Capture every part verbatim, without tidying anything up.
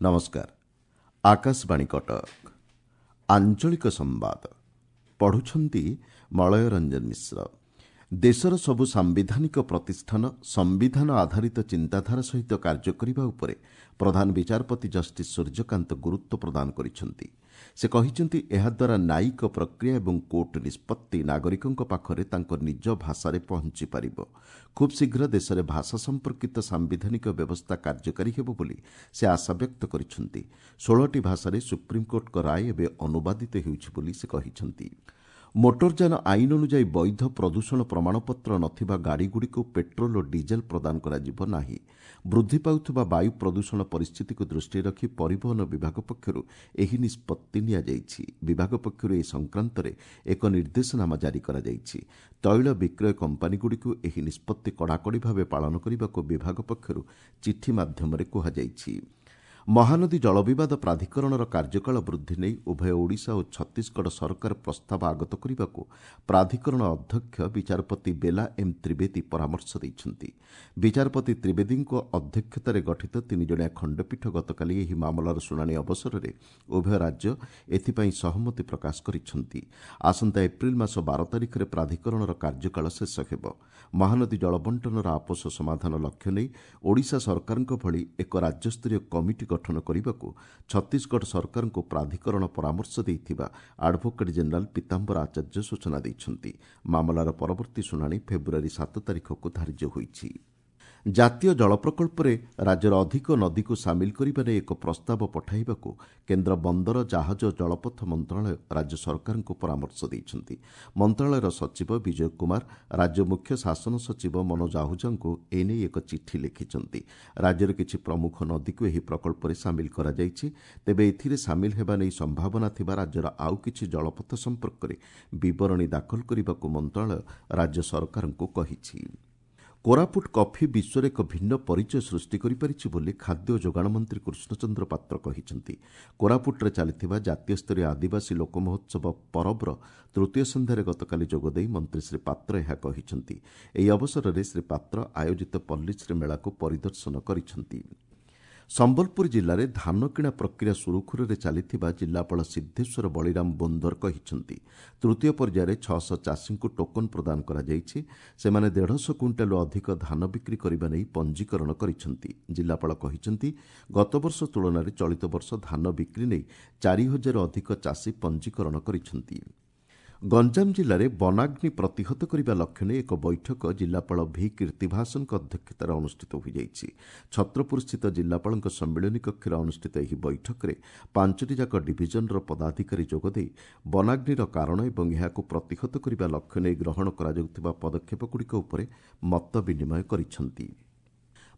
ନମସ୍କାର ଆକାଶବାଣୀ କଟକ ଆଞ୍ଚଳିକ ସମ୍ବାଦ ପଢୁଛନ୍ତି ମଳୟ ରଞ୍ଜନ ମିଶ୍ର ଦେଶର ସବୁ ସାମ୍ବିଧାନିକ ପ୍ରତିଷ୍ଠାନ ସମ୍ବିଧାନ ଆଧାରିତ ଚିନ୍ତାଧାରା ସହିତ କାର୍ଯ୍ୟ କରିବା ଉପରେ ପ୍ରଧାନ ବିଚାରପତି ଜଷ୍ଟିସ୍ ସୂର୍ଯ୍ୟକାନ୍ତ ଗୁରୁତ୍ୱ ପ୍ରଦାନ କରିଛନ୍ତି। ସେ କହିଛନ୍ତି, ଏହାଦ୍ୱାରା ନ୍ୟାୟିକ ପ୍ରକ୍ରିୟା ଏବଂ କୋର୍ଟ ନିଷ୍ପତ୍ତି ନାଗରିକଙ୍କ ପାଖରେ ତାଙ୍କ ନିଜ ଭାଷାରେ ପହଞ୍ଚିପାରିବ। ଖୁବ୍ ଶୀଘ୍ର ଦେଶରେ ଭାଷା ସମ୍ପର୍କିତ ସାମ୍ବିଧାନିକ ବ୍ୟବସ୍ଥା କାର୍ଯ୍ୟକାରୀ ହେବ ବୋଲି ସେ ଆଶାବ୍ୟକ୍ତ କରିଛନ୍ତି। ଷୋହଳଟି ଭାଷାରେ ସୁପ୍ରିମକୋର୍ଟଙ୍କ ରାୟ ଏବେ ଅନୁବାଦିତ ହେଉଛି ବୋଲି ସେ କହିଛନ୍ତି। ମୋଟରଯାନ ଆଇନ ଅନୁଯାୟୀ ବୈଧ ପ୍ରଦୂଷଣ ପ୍ରମାଣପତ୍ର ନଥିବା ଗାଡ଼ିଗୁଡ଼ିକୁ ପେଟ୍ରୋଲ ଓ ଡିଜେଲ ପ୍ରଦାନ କରାଯିବ ନାହିଁ। ବୃଦ୍ଧି ପାଉଥିବା ବାୟୁ ପ୍ରଦୂଷଣ ପରିସ୍ଥିତିକୁ ଦୃଷ୍ଟିରେ ରଖି ପରିବହନ ବିଭାଗ ପକ୍ଷରୁ ଏହି ନିଷ୍ପତ୍ତି ନିଆଯାଇଛି। ବିଭାଗ ପକ୍ଷରୁ ଏ ସଂକ୍ରାନ୍ତରେ ଏକ ନିର୍ଦ୍ଦେଶନାମା ଜାରି କରାଯାଇଛି। ତୈଳ ବିକ୍ରୟ କମ୍ପାନୀଗୁଡ଼ିକୁ ଏହି ନିଷ୍ପତ୍ତି କଡ଼ାକଡ଼ି ଭାବେ ପାଳନ କରିବାକୁ ବିଭାଗ ପକ୍ଷରୁ ଚିଠି ମାଧ୍ୟମରେ କୁହାଯାଇଛି। ମହାନଦୀ ଜଳବିବାଦ ପ୍ରାଧିକରଣର କାର୍ଯ୍ୟକାଳ ବୃଦ୍ଧି ନେଇ ଉଭୟ ଓଡ଼ିଶା ଓ ଛତିଶଗଡ଼ ସରକାର ପ୍ରସ୍ତାବ ଆଗତ କରିବାକୁ ପ୍ରାଧିକରଣ ଅଧ୍ୟକ୍ଷ ବିଚାରପତି ବେଲା ଏମ୍ ତ୍ରିବେଦୀ ପରାମର୍ଶ ଦେଇଛନ୍ତି। ବିଚାରପତି ତ୍ରିବେଦୀଙ୍କ ଅଧ୍ୟକ୍ଷତାରେ ଗଠିତ ତିନିଜଣିଆ ଖଣ୍ଡପୀଠ ଗତକାଲି ଏହି ମାମଲାର ଶୁଣାଣି ଅବସରରେ ଉଭୟ ରାଜ୍ୟ ଏଥିପାଇଁ ସହମତି ପ୍ରକାଶ କରିଛନ୍ତି। ଆସନ୍ତା ଏପ୍ରିଲ ମାସ ବାର ତାରିଖରେ ପ୍ରାଧିକରଣର କାର୍ଯ୍ୟକାଳ ଶେଷ ହେବ। ମହାନଦୀ ଜଳବଣ୍ଟନର ଆପୋଷ ସମାଧାନ ଲକ୍ଷ୍ୟ ନେଇ ଓଡ଼ିଶା ସରକାରଙ୍କ ଭଳି ଏକ ରାଜ୍ୟସ୍ତରୀୟ କମିଟି ଗଠନ କରିବାକୁ ଛତିଶଗଡ଼ ସରକାରଙ୍କୁ ପ୍ରାଧିକରଣ ପରାମର୍ଶ ଦେଇଥିବା ଆଡଭୋକେଟ୍ ଜେନେରାଲ ପୀତାମ୍ବର ଆଚାର୍ଯ୍ୟ ସୂଚନା ଦେଇଛନ୍ତି। ମାମଲାର ପରବର୍ତ୍ତୀ ଶୁଣାଣି ଫେବୃଆରୀ ସାତ ତାରିଖକୁ ଧାର୍ଯ୍ୟ ହୋଇଛି। ଜାତୀୟ ଜଳ ପ୍ରକଳ୍ପରେ ରାଜ୍ୟର ଅଧିକ ନଦୀକୁ ସାମିଲ କରିବା ନେଇ ଏକ ପ୍ରସ୍ତାବ ପଠାଇବାକୁ କେନ୍ଦ୍ର ବନ୍ଦର ଜାହାଜ ଓ ଜଳପଥ ମନ୍ତ୍ରଣାଳୟ ରାଜ୍ୟ ସରକାରଙ୍କୁ ପରାମର୍ଶ ଦେଇଛନ୍ତି। ମନ୍ତ୍ରଣାଳୟର ସଚିବ ବିଜୟ କୁମାର ରାଜ୍ୟ ମୁଖ୍ୟ ଶାସନ ସଚିବ ମନୋଜ ଆହୁଜାଙ୍କୁ ଏନେଇ ଏକ ଚିଠି ଲେଖିଛନ୍ତି। ରାଜ୍ୟର କିଛି ପ୍ରମୁଖ ନଦୀକୁ ଏହି ପ୍ରକଳ୍ପରେ ସାମିଲ କରାଯାଇଛି। ତେବେ ଏଥିରେ ସାମିଲ ହେବା ନେଇ ସମ୍ଭାବନା ଥିବା ରାଜ୍ୟର ଆଉ କିଛି ଜଳପଥ ସମ୍ପର୍କରେ ବିବରଣୀ ଦାଖଲ କରିବାକୁ ମନ୍ତ୍ରଣାଳୟ ରାଜ୍ୟ ସରକାରଙ୍କୁ କହିଛି। କୋରାପୁଟ କଫି ବିଶ୍ୱରେ ଏକ ଭିନ୍ନ ପରିଚୟ ସୃଷ୍ଟି କରିପାରିଛି ବୋଲି ଖାଦ୍ୟ ଓ ଯୋଗାଣ ମନ୍ତ୍ରୀ କୃଷ୍ଣଚନ୍ଦ୍ର ପାତ୍ର କହିଛନ୍ତି। କୋରାପୁଟରେ ଚାଲିଥିବା ଜାତୀୟସ୍ତରୀୟ ଆଦିବାସୀ ଲୋକ ମହୋତ୍ସବ ପରବର ତୃତୀୟ ସନ୍ଧ୍ୟାରେ ଗତକାଲି ଯୋଗଦେଇ ମନ୍ତ୍ରୀ ଶ୍ରୀ ପାତ୍ର ଏହା କହିଛନ୍ତି। ଏହି ଅବସରରେ ଶ୍ରୀ ପାତ୍ର ଆୟୋଜିତ ପଲ୍ଲୀଶ୍ରୀ ମେଳାକୁ ପରିଦର୍ଶନ କରିଛନ୍ତି। ସମ୍ବଲପୁର ଜିଲ୍ଲାରେ ଧାନ କିଣା ପ୍ରକ୍ରିୟା ସୁରୁଖୁରୁରେ ଚାଲିଥିବା ଜିଲ୍ଲାପାଳ ସିଦ୍ଧେଶ୍ୱର ବଳିରାମ ବୋନ୍ଦର କହିଛନ୍ତି। ତୃତୀୟ ପର୍ଯ୍ୟାୟରେ ଛଅଶହ ଚାଷୀଙ୍କୁ ଟୋକନ ପ୍ରଦାନ କରାଯାଇଛି। ସେମାନେ ଦେଢ଼ଶହ କୁଇଣ୍ଟାଲରୁ ଅଧିକ ଧାନ ବିକ୍ରି କରିବା ନେଇ ପଞ୍ଜୀକରଣ କରିଛନ୍ତି। ଜିଲ୍ଲାପାଳ କହିଛନ୍ତି, ଗତବର୍ଷ ତୁଳନାରେ ଚଳିତ ବର୍ଷ ଧାନ ବିକ୍ରି ନେଇ ଚାରି ହଜାରରୁ ଅଧିକ ଚାଷୀ ପଞ୍ଜୀକରଣ କରିଛନ୍ତି। ଗଞ୍ଜାମ ଜିଲ୍ଲାରେ ବନାଗ୍ନି ପ୍ରତିହତ କରିବା ଲକ୍ଷ୍ୟ ନେଇ ଏକ ବୈଠକ ଜିଲ୍ଲାପାଳ ଭି କୀର୍ତ୍ତିଭାସନଙ୍କ ଅଧ୍ୟକ୍ଷତାରେ ଅନୁଷ୍ଠିତ ହୋଇଯାଇଛି। ଛତ୍ରପୁରସ୍ଥିତ ଜିଲ୍ଲାପାଳଙ୍କ ସମ୍ମିଳନୀ କକ୍ଷରେ ଅନୁଷ୍ଠିତ ଏହି ବୈଠକରେ ପାଞ୍ଚଟି ଯାକ ଡିଭିଜନର ପଦାଧିକାରୀ ଯୋଗଦେଇ ବନାଗ୍ନିର କାରଣ ଏବଂ ଏହାକୁ ପ୍ରତିହତ କରିବା ଲକ୍ଷ୍ୟ ନେଇ ଗ୍ରହଣ କରାଯାଉଥିବା ପଦକ୍ଷେପଗୁଡ଼ିକ ଉପରେ ମତ ବିନିମୟ କରିଛନ୍ତି।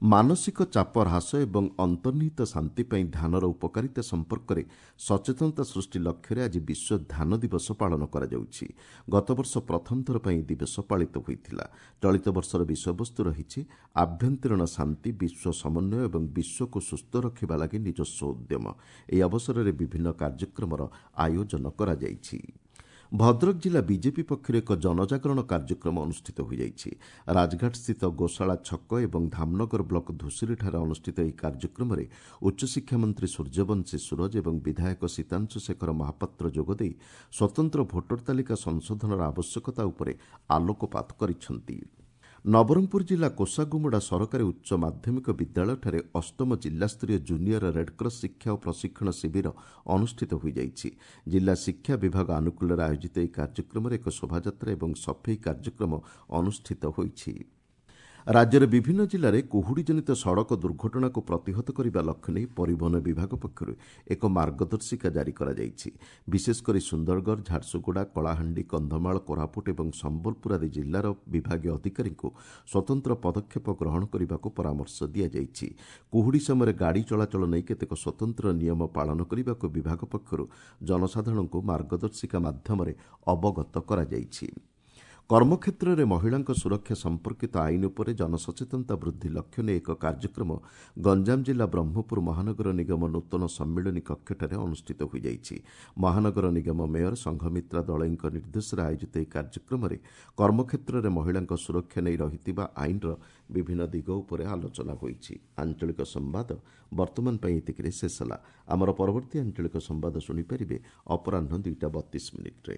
ମାନସିକ ଚାପ ହ୍ରାସ ଏବଂ ଅନ୍ତର୍ନିହିତ ଶାନ୍ତି ପାଇଁ ଧ୍ୟାନର ଉପକାରିତା ସମ୍ପର୍କରେ ସଚେତନତା ସୃଷ୍ଟି ଲକ୍ଷ୍ୟରେ ଆଜି ବିଶ୍ୱ ଧ୍ୟାନ ଦିବସ ପାଳନ କରାଯାଉଛି। ଗତବର୍ଷ ପ୍ରଥମ ଥର ପାଇଁ ଏହି ଦିବସ ପାଳିତ ହୋଇଥିଲା। ଚଳିତ ବର୍ଷର ବିଷୟବସ୍ତୁ ରହିଛି ଆଭ୍ୟନ୍ତରୀଣ ଶାନ୍ତି, ବିଶ୍ୱ ସମନ୍ୱୟ ଏବଂ ବିଶ୍ୱକୁ ସୁସ୍ଥ ରଖିବା ଲାଗି ନିଜସ୍ୱ ଉଦ୍ୟମ। ଏହି ଅବସରରେ ବିଭିନ୍ନ କାର୍ଯ୍ୟକ୍ରମର ଆୟୋଜନ କରାଯାଇଛି। ଭଦ୍ରକ ଜିଲ୍ଲା ବିଜେପି ପକ୍ଷରୁ ଏକ ଜନଜାଗରଣ କାର୍ଯ୍ୟକ୍ରମ ଅନୁଷ୍ଠିତ ହୋଇଯାଇଛି। ରାଜଘାଟସ୍ଥିତ ଗୋଶାଳା ଛକ ଏବଂ ଧାମନଗର ବ୍ଲକ ଧୁଷୁରୀଠାରେ ଅନୁଷ୍ଠିତ ଏହି କାର୍ଯ୍ୟକ୍ରମରେ ଉଚ୍ଚଶିକ୍ଷା ମନ୍ତ୍ରୀ ସୂର୍ଯ୍ୟବଂଶୀ ସୂରଜ ଏବଂ ବିଧାୟକ ସୀତାଂଶୁ ଶେଖର ମହାପାତ୍ର ଯୋଗଦେଇ ସ୍ୱତନ୍ତ୍ର ଭୋଟର ତାଲିକା ସଂଶୋଧନର ଆବଶ୍ୟକତା ଉପରେ ଆଲୋକପାତ କରିଛନ୍ତି। ନବରଙ୍ଗପୁର ଜିଲ୍ଲା କୋଷାଗୁମୁଡ଼ା ସରକାରୀ ଉଚ୍ଚ ମାଧ୍ୟମିକ ବିଦ୍ୟାଳୟଠାରେ ଅଷ୍ଟମ ଜିଲ୍ଲାସ୍ତରୀୟ ଜୁନିୟର ରେଡ୍କ୍ରସ୍ ଶିକ୍ଷା ଓ ପ୍ରଶିକ୍ଷଣ ଶିବିର ଅନୁଷ୍ଠିତ ହୋଇଯାଇଛି। ଜିଲ୍ଲା ଶିକ୍ଷା ବିଭାଗ ଆନୁକୂଲ୍ୟରେ ଆୟୋଜିତ ଏହି କାର୍ଯ୍ୟକ୍ରମରେ ଏକ ଶୋଭାଯାତ୍ରା ଏବଂ ସଫେଇ କାର୍ଯ୍ୟକ୍ରମ ଅନୁଷ୍ଠିତ ହୋଇଛି। ରାଜ୍ୟର ବିଭିନ୍ନ ଜିଲ୍ଲାରେ କୁହୁଡ଼ିଜନିତ ସଡ଼କ ଦୁର୍ଘଟଣାକୁ ପ୍ରତିହତ କରିବା ଲକ୍ଷ୍ୟ ନେଇ ପରିବହନ ବିଭାଗ ପକ୍ଷରୁ ଏକ ମାର୍ଗଦର୍ଶିକା ଜାରି କରାଯାଇଛି। ବିଶେଷକରି ସୁନ୍ଦରଗଡ଼, ଝାରସୁଗୁଡ଼ା, କଳାହାଣ୍ଡି, କନ୍ଧମାଳ, କୋରାପୁଟ ଏବଂ ସମ୍ବଲପୁର ଆଦି ଜିଲ୍ଲାର ବିଭାଗୀୟ ଅଧିକାରୀଙ୍କୁ ସ୍ୱତନ୍ତ୍ର ପଦକ୍ଷେପ ଗ୍ରହଣ କରିବାକୁ ପରାମର୍ଶ ଦିଆଯାଇଛି। କୁହୁଡ଼ି ସମୟରେ ଗାଡ଼ି ଚଳାଚଳ ନେଇ କେତେକ ସ୍ୱତନ୍ତ୍ର ନିୟମ ପାଳନ କରିବାକୁ ବିଭାଗ ପକ୍ଷରୁ ଜନସାଧାରଣଙ୍କୁ ମାର୍ଗଦର୍ଶିକା ମାଧ୍ୟମରେ ଅବଗତ କରାଯାଇଛି। କର୍ମକ୍ଷେତ୍ରରେ ମହିଳାଙ୍କ ସୁରକ୍ଷା ସମ୍ପର୍କିତ ଆଇନ ଉପରେ ଜନସଚେତନତା ବୃଦ୍ଧି ଲକ୍ଷ୍ୟ ନେଇ ଏକ କାର୍ଯ୍ୟକ୍ରମ ଗଞ୍ଜାମ ଜିଲ୍ଲା ବ୍ରହ୍ମପୁର ମହାନଗର ନିଗମ ନୂତନ ସମ୍ମିଳନୀ କକ୍ଷଠାରେ ଅନୁଷ୍ଠିତ ହୋଇଯାଇଛି। ମହାନଗର ନିଗମ ମେୟର ସଂଘମିତ୍ରା ଦଳେଇଙ୍କ ନିର୍ଦ୍ଦେଶରେ ଆୟୋଜିତ ଏହି କାର୍ଯ୍ୟକ୍ରମରେ କର୍ମକ୍ଷେତ୍ରରେ ମହିଳାଙ୍କ ସୁରକ୍ଷା ନେଇ ରହିଥିବା ଆଇନର ବିଭିନ୍ନ ଦିଗ ଉପରେ ଆଲୋଚନା ହୋଇଛି। ଆଞ୍ଚଳିକ ସମ୍ବାଦ ବର୍ତ୍ତମାନ ପାଇଁ ଏତିକିରେ ଶେଷ ହେଲା। ଆମର ପରବର୍ତ୍ତୀ ଆଞ୍ଚଳିକ ସମ୍ବାଦ ଶୁଣିପାରିବେ ଅପରାହ୍ନ ଦୁଇଟା ବତିଶ ମିନିଟ୍ରେ।